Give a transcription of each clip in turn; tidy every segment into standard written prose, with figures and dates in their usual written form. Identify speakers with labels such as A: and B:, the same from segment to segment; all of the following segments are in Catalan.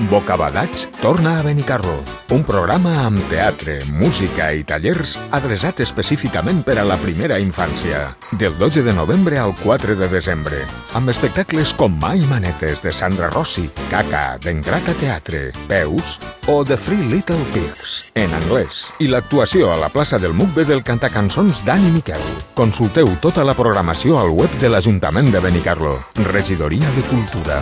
A: Bocabadats torna a Benicarló, un programa amb teatre, música i tallers adreçat específicament per a la primera infància. Del 12 de novembre al 4 de desembre, amb espectacles com Mai Manetes de Sandra Rossi, Caca d'Engrata Teatre, Peus o The Three Little Pigs, en anglès, i l'actuació a la plaça del Mugbe del cantacançons Dani Miquel. Consulteu tota la programació al web de l'Ajuntament de Benicarló, Regidoria de Cultura.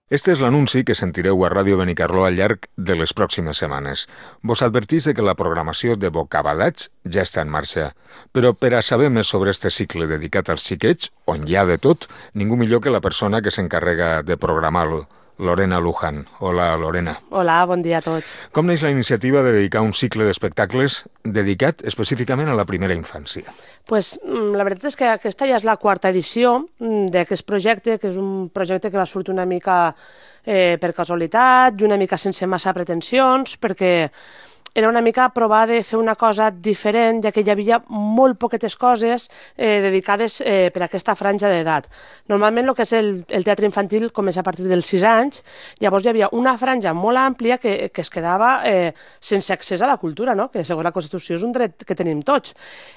A: Este és l'anunci que sentireu a Ràdio Benicarló al llarg de les pròximes setmanes. Vos advertís de que la programació de Bocabadats ja està en marxa. Però per a saber més sobre este cicle dedicat als xiquets, on hi ha de tot, ningú millor que la persona que s'encarrega de programar-lo, Lorena Luján. Hola, Lorena.
B: Hola, bon dia a tots.
A: Com neix la iniciativa de dedicar un cicle d'espectacles dedicat específicament a la primera infància?
B: Pues, la veritat és que aquesta ja és la quarta edició d'aquest projecte, que és un projecte que va sortir una mica per casualitat i una mica sense massa pretensions, perquè era una mica provar de fer una cosa diferent, ja que hi havia molt poquetes coses dedicades per a aquesta franja d'edat. Normalment el que és el teatre infantil comença a partir dels 6 anys, llavors hi havia una franja molt àmplia que es quedava sense accés a la cultura, no? Que segons la Constitució és un dret que tenim tots.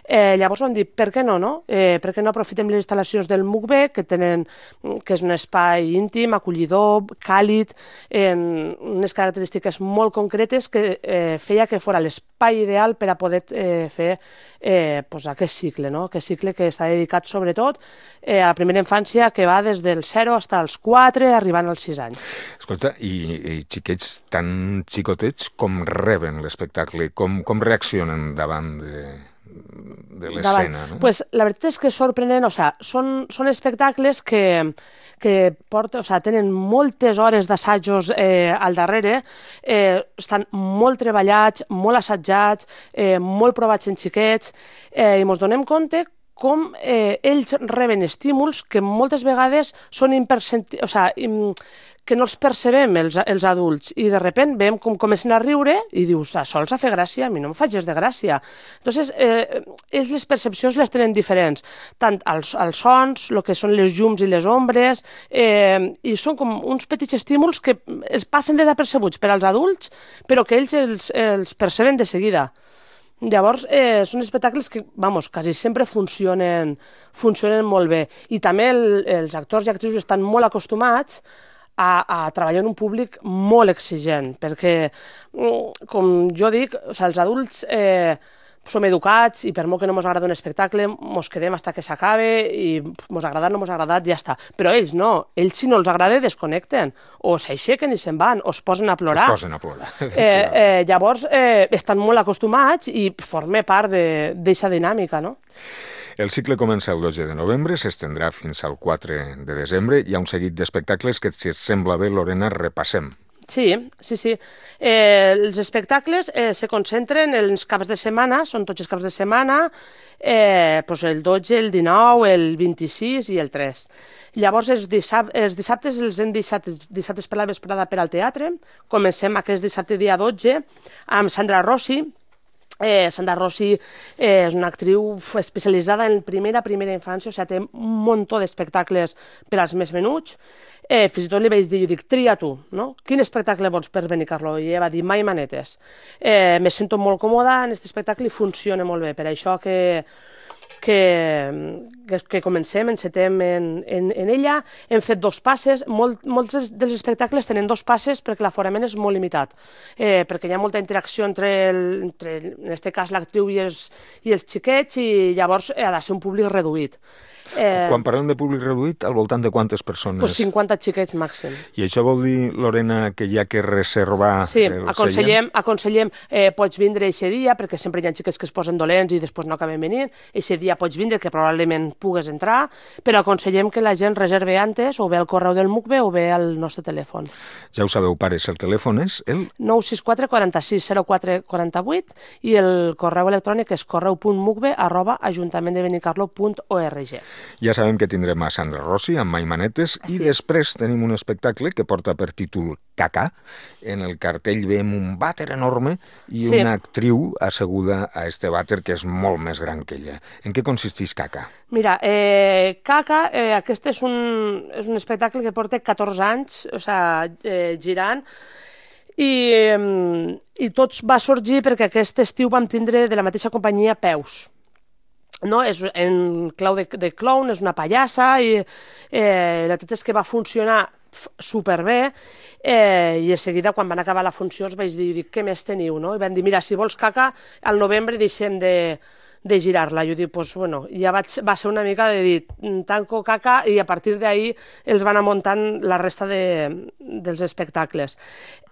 B: Llavors vam dir, per què no? Per què no aprofitem les instal·lacions del Mugbe, que és un espai íntim, acollidor, càlid, en unes característiques molt concretes que feia que fos l'espai ideal per a poder fer aquest cicle, no? Aquest cicle que està dedicat sobretot a la primera infància, que va des del 0 fins als 4, arribant als 6 anys.
A: Escolta, i xiquets tan xicotets com reben l'espectacle? Com reaccionen davant de l'escena? No?
B: Pues, la veritat és que és sorprenent, són espectacles que tenen moltes hores d'assajos al darrere, estan molt treballats, molt assajats, molt provats en xiquets, i ens donem compte com ells reben estímuls que moltes vegades són que no els percebem els adults, i de sobte veiem com comencen a riure i dius, això els fa gràcia, a mi no em fa gens de gràcia. Llavors, ells les percepcions les tenen diferents, tant els sons, el que són les llums i les ombres, i són com uns petits estímuls que es passen desapercebuts per als adults, però que ells els perceben de seguida. Llavors, són espectacles que, quasi sempre funcionen molt bé. I també els actors i actrius estan molt acostumats a treballar en un públic molt exigent, perquè, com jo dic, els adults som educats i per molt que no ens agrada un espectacle, ens quedem fins que s'acabe i ens ha agradat, no ens ha agradat, ja està. Però ells no, ells si no els agrada desconnecten, o s'aixequen i se'n van, o es posen a plorar. Llavors estan molt acostumats i forma part d'aquesta dinàmica, no?
A: El cicle comença el 12 de novembre, s'estendrà fins al 4 de desembre. Hi ha un seguit d'espectacles que, si et sembla bé, Lorena, repassem.
B: Sí. Els espectacles se concentren en els caps de setmana, són tots els caps de setmana, el 12, el 19, el 26 i el 3. Llavors, els dissabtes els hem deixat dissabtes per la vesprada per al teatre. Comencem aquest dissabte dia 12 amb Sandra Rossi. Sandra Rossi és una actriu especialitzada en primera infància, té un munt d'espectacles per als més menuts. Fins i tot li vaig dir, jo dic, tria tu, no? Quin espectacle vols per Benicarló? I ella va dir, Mai Manetes. Me sento molt còmoda en aquest espectacle i funciona molt bé, per això que comencem, encetem en ella. Hem fet 2 passes, molts dels espectacles tenen 2 passes perquè l'aforament és molt limitat, perquè hi ha molta interacció entre en aquest cas, l'actriu i els xiquets, i llavors ha de ser un públic reduït.
A: Quan parlem de públic reduït, al voltant de quantes persones?
B: 50 xiquets màxim.
A: I això vol dir, Lorena, que hi ha que reservar el seient?
B: Aconsellem, pots vindre eixe dia, perquè sempre hi ha xiquets que es posen dolents i després no acaben venint. Eixe dia pots vindre, que probablement pugues entrar, però aconsellem que la gent reserve antes, o bé al correu del Mugbe o bé al nostre telèfon.
A: Ja ho sabeu, pares, el telèfon és el
B: 964 46 04 48 i el correu electrònic és correu.mugbe@ajuntamentdebenicarlo.org.
A: Ja sabem que tindrem a Sandra Rossi amb Mai Manetes i després tenim un espectacle que porta per títol Caca. En el cartell veiem un vàter enorme i una actriu asseguda a este vàter que és molt més gran que ella. En què consisteix Caca?
B: Mira, Caca, aquest és un espectacle que porta 14 anys, girant, i tot va sorgir perquè aquest estiu vam tindre de la mateixa companyia Peus. No? És en clau de clown, és una pallassa, i la veritat és que va funcionar superbé, i de seguida, quan van acabar la funció, els vaig dir, què més teniu? No? I van dir, mira, si vols Caca, al novembre deixem de girar-la. Jo dic, doncs, bueno, ja va ser una mica de dir, tanco Caca, i a partir d'ahir els van anar muntant la resta dels espectacles.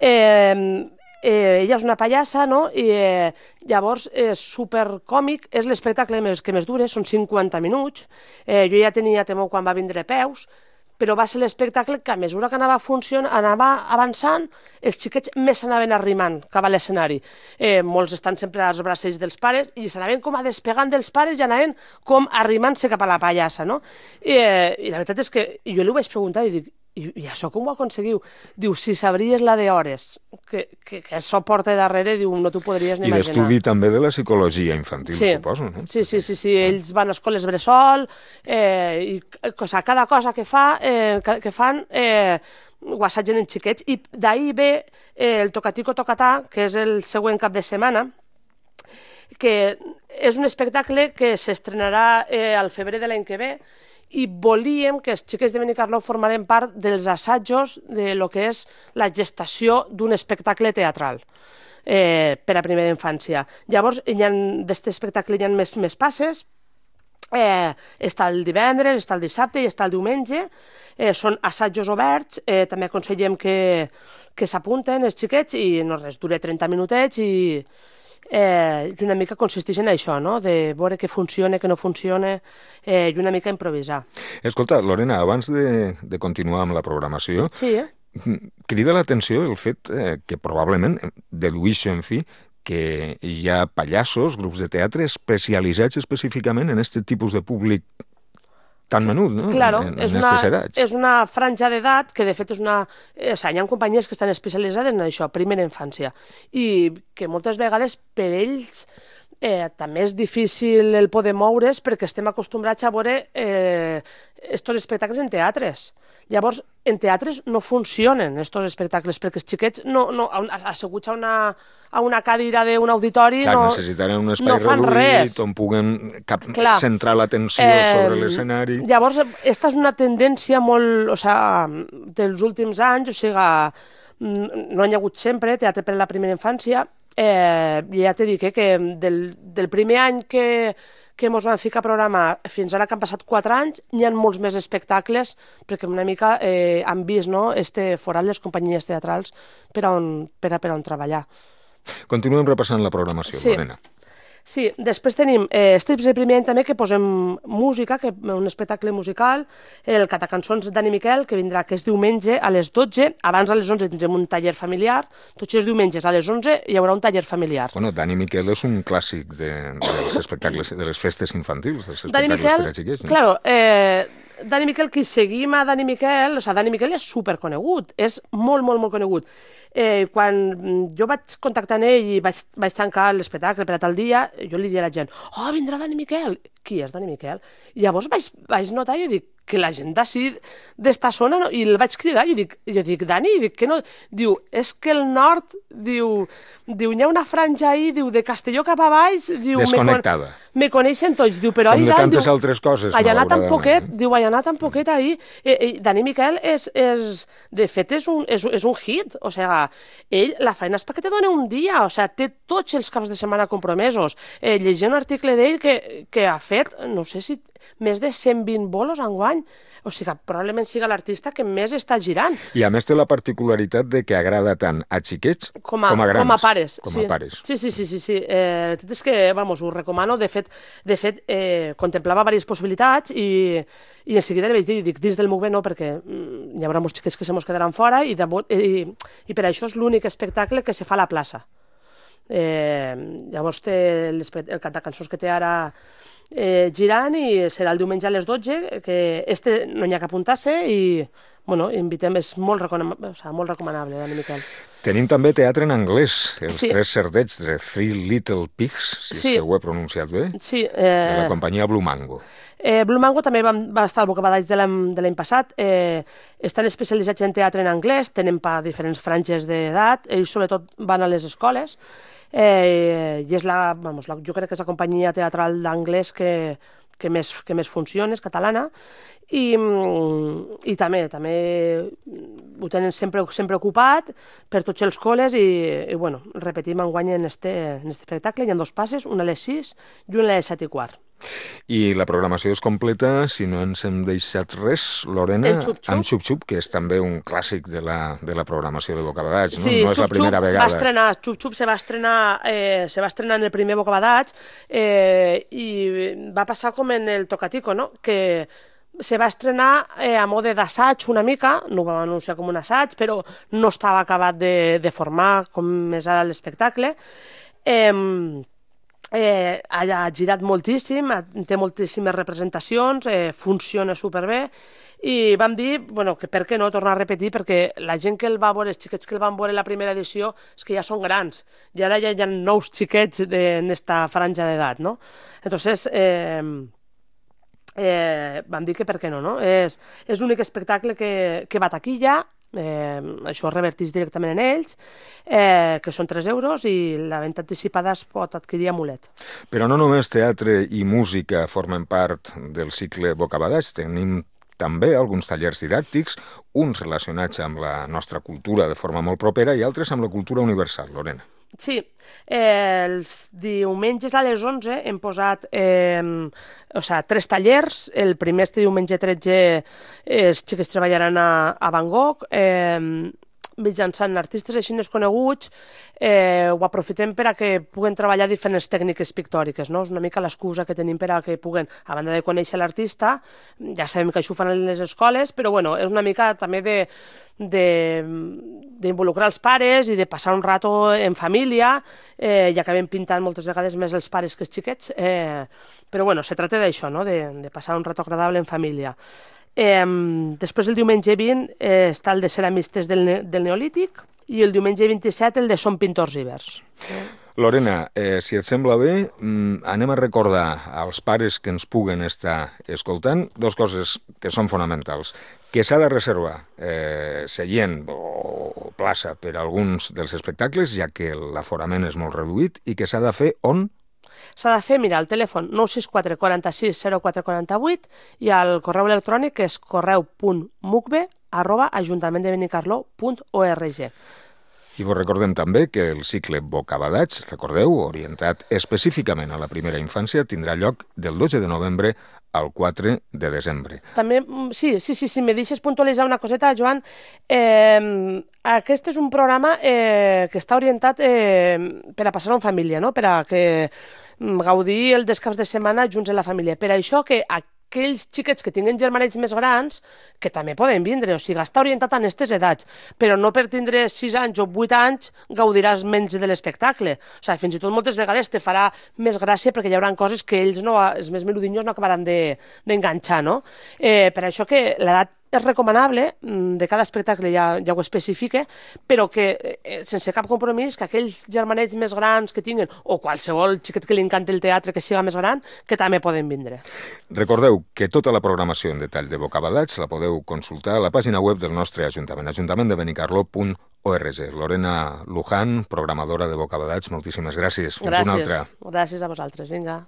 B: Ella és una pallassa, no? I llavors és supercòmic, és l'espectacle que més dura, són 50 minuts. Jo ja tenia temor quan va vindre Peus, però va ser l'espectacle que a mesura que anava avançant, els xiquets més s'anaven arrimant cap a l'escenari. Molts estan sempre als bracells dels pares i s'anaven com a despegant dels pares i anaven com arrimant-se cap a la pallassa, no? I la veritat és que jo li ho vaig preguntar i dic, i això com ho aconseguiu? Diu, si sabries la d'hores que això porta darrere, diu, no t'ho podries ni imaginar.
A: I l'estudi també de la psicologia infantil, suposo, no?
B: Sí, ells van a escoles bressol, i cada cosa que fan ho assagen en xiquets, i d'ahir ve el Tocatico Tocatà, que és el següent cap de setmana, que és un espectacle que s'estrenarà al febrer de l'any que ve, i volíem que els xiquets de Benicarló formaren part dels assajos de lo que és la gestació d'un espectacle teatral per a primera infància. Llavors, d'aquest espectacle hi ha més passes, està el divendres, està el dissabte i està el diumenge, són assajos oberts, també aconsellem que s'apunten els xiquets i no res, dura 30 minutets i una mica consisteix en això, no? De veure què funciona, què no funciona, i una mica improvisar.
A: Escolta, Lorena, abans de continuar amb la programació, crida l'atenció el fet que probablement deduïixo, en fi, que hi ha pallassos, grups de teatre especialitzats específicament en aquest tipus de públic tan menut, no?
B: Claro,
A: és
B: una franja d'edat que, de fet, hi ha companyies que estan especialitzades en això, primera infància, i que moltes vegades per ells també és difícil el poder moure's perquè estem acostumbrats a veure estos espectacles en teatres. Llavors, en teatres no funcionen estos espectacles perquè els xiquets asseguts a una cadira d'un auditori
A: necessitaran un espai reduït on puguen centrar l'atenció sobre l'escenari.
B: Llavors, aquesta és una tendència molt, dels últims anys, no hi ha hagut sempre teatre per a la primera infància. Ja t'he dit que del primer any que ens vam ficar a programar fins ara que han passat 4 anys, hi ha molts més espectacles perquè una mica han vist este forat les companyies teatrals per a on treballar.
A: Continuem repassant la programació, Lorena.
B: Sí, després tenim strips de primer any també que posem música, un espectacle musical, el Catacançons Dani Miquel, que vindrà aquest diumenge a les 12, abans a les 11 tindrem un taller familiar, tots els diumenges a les 11 hi haurà un taller familiar.
A: Bueno, Dani Miquel és un clàssic dels espectacles, de les festes infantils, dels espectacles per a xiquets.
B: Claro, Dani Miquel, qui seguim a Dani Miquel, Dani Miquel és superconegut, és molt, molt, molt conegut. Quan jo vaig contactar amb ell i vaig tancar l'espectacle per a tal dia, jo li diria a la gent, vindrà Dani Miquel. Qui és Dani Miquel? I llavors vaig notar, jo dic, que la gent d'ací, d'esta zona, i el vaig cridar, jo dic, Dani, que no... Diu, és que el nord, diu, hi ha una franja ahí, diu, de Castelló cap a baix, diu...
A: Desconnectada.
B: Me coneixen tots, diu, però ahí dalt...
A: Com de tantes altres coses,
B: ha anat tan poquet, diu, ha anat tan poquet ahí. Dani Miquel de fet, és un hit, o sigui, ell, la feina és perquè te dona un dia, o sigui, té tots els caps de setmana compromesos. Llegint un article d'ell que ha fet, no sé si més de 120 bolos enguany, o sigui, probablement siga l'artista que més està girant.
A: I a més té la particularitat de que agrada tant a xiquets com a grans.
B: Com a pares.
A: Com a pares.
B: Sí. És que, ho recomano. De fet, contemplava diverses possibilitats i en seguida li vaig dir, dins del MUCB no, perquè hi haurà molts xiquets que se mos quedaran fora i per això és l'únic espectacle que se fa a la plaça. Llavors té el Catacançons que té ara girant, i serà el diumenge a les 12, que no hi ha que apuntar-se, i invitem, és molt recomanable, Dani Miquel.
A: Tenim també teatre en anglès, Els Tres Cerdets, de Three Little Pigs, si és que ho he pronunciat bé, de la companyia Blue Mango.
B: Blue Mango també va estar al Bocabadats de l'any passat. Estan especialitzats en teatre en anglès, tenen per diferents franges d'edat, ells sobretot van a les escoles, i és jo crec que és la companyia teatral d'anglès que més funciona, és catalana, i també ho tenen sempre ocupat per tots els col·les, i repetim enguany en este espectacle. Hi ha 2 passes, una a les 6 i una a les 7:15.
A: I la programació és completa, si no ens hem deixat res, Lorena, amb Xup Xup, que és també un clàssic de la programació de Bocabadats, no?
B: Sí,
A: no és la primera vegada.
B: Xup Xup se va estrenar en el primer Bocabadats, i va passar com en el Tocatico, no? Que se va estrenar a mode d'assaig una mica, no ho vam anunciar com un assaig, però no estava acabat de formar com és ara l'espectacle. Ha girat moltíssim, té moltíssimes representacions, funciona superbé, i vam dir que per què no tornar a repetir, perquè la gent que el va veure, els xiquets que el van veure la primera edició, és que ja són grans, i ara ja hi ha nous xiquets en esta franja d'edat, no? Entonces, vam dir que per què no? És l'únic espectacle que va a taquilla, això es reverteix directament en ells, que són 3 euros, i la venda anticipada es pot adquirir a Mulet.
A: Però no només teatre i música formen part del cicle Bocabadats, tenim també alguns tallers didàctics, uns relacionats amb la nostra cultura de forma molt propera i altres amb la cultura universal, Lorena.
B: Sí, els diumenges a les 11 hem posat 3 tallers. El primer, este diumenge 13, els xics treballaran a Van Gogh, mitjançant artistes així coneguts. Ho aprofitem per a que puguen treballar diferents tècniques pictòriques, no? És una mica l'excusa que tenim per a que puguen, a banda de conèixer l'artista, ja sabem que això ho fan a les escoles, però és una mica també d'involucrar els pares i de passar un rato en família, i acabem pintant moltes vegades més els pares que els xiquets, però se tracta d'això, no? De passar un rato agradable en família. Després, el diumenge 20 està el de ceramistes del Neolític, i el diumenge 27 el de Som Pintors Ibers.
A: Lorena, si et sembla bé, anem a recordar als pares que ens puguen estar escoltant 2 coses que són fonamentals. Que s'ha de reservar seient o plaça per a alguns dels espectacles, ja que l'aforament és molt reduït, i que s'ha de fer on?
B: S'ha de fer, al telèfon 964 46 04 48, i al correu electrònic, que és correu.mucbe@ajuntamentdebenicarló.org.
A: I vos recordem també que el cicle Bocabadats, recordeu, orientat específicament a la primera infància, tindrà lloc del 12 de novembre al 4 de desembre.
B: També, sí, me deixes puntualitzar una coseta, Joan. Aquest és un programa que està orientat per a passar-ho en família, no? Per a que gaudir el descans de setmana junts en la família. Per això que aquells xiquets que tinguen germanets més grans, que també poden vindre, o sigui, està orientat a aquestes edats, però no per tindre 6 anys o 8 anys gaudiràs menys de l'espectacle. O sigui, fins i tot moltes vegades te farà més gràcia, perquè hi haurà coses que ells, els més menudinyos, no acabaran d'enganxar, no? Per això que l'edat és recomanable, de cada espectacle ja ho especifica, però que sense cap compromís, que aquells germanets més grans que tinguen, o qualsevol xiquet que li encanta el teatre que siga més gran, que també poden vindre.
A: Recordeu que tota la programació en detall de Bocabadats la podeu consultar a la pàgina web del nostre Ajuntament, ajuntamentdebenicarló.org. Lorena Luján, programadora de Bocabadats, moltíssimes gràcies. Fins una altra.
B: Gràcies a vosaltres, vinga.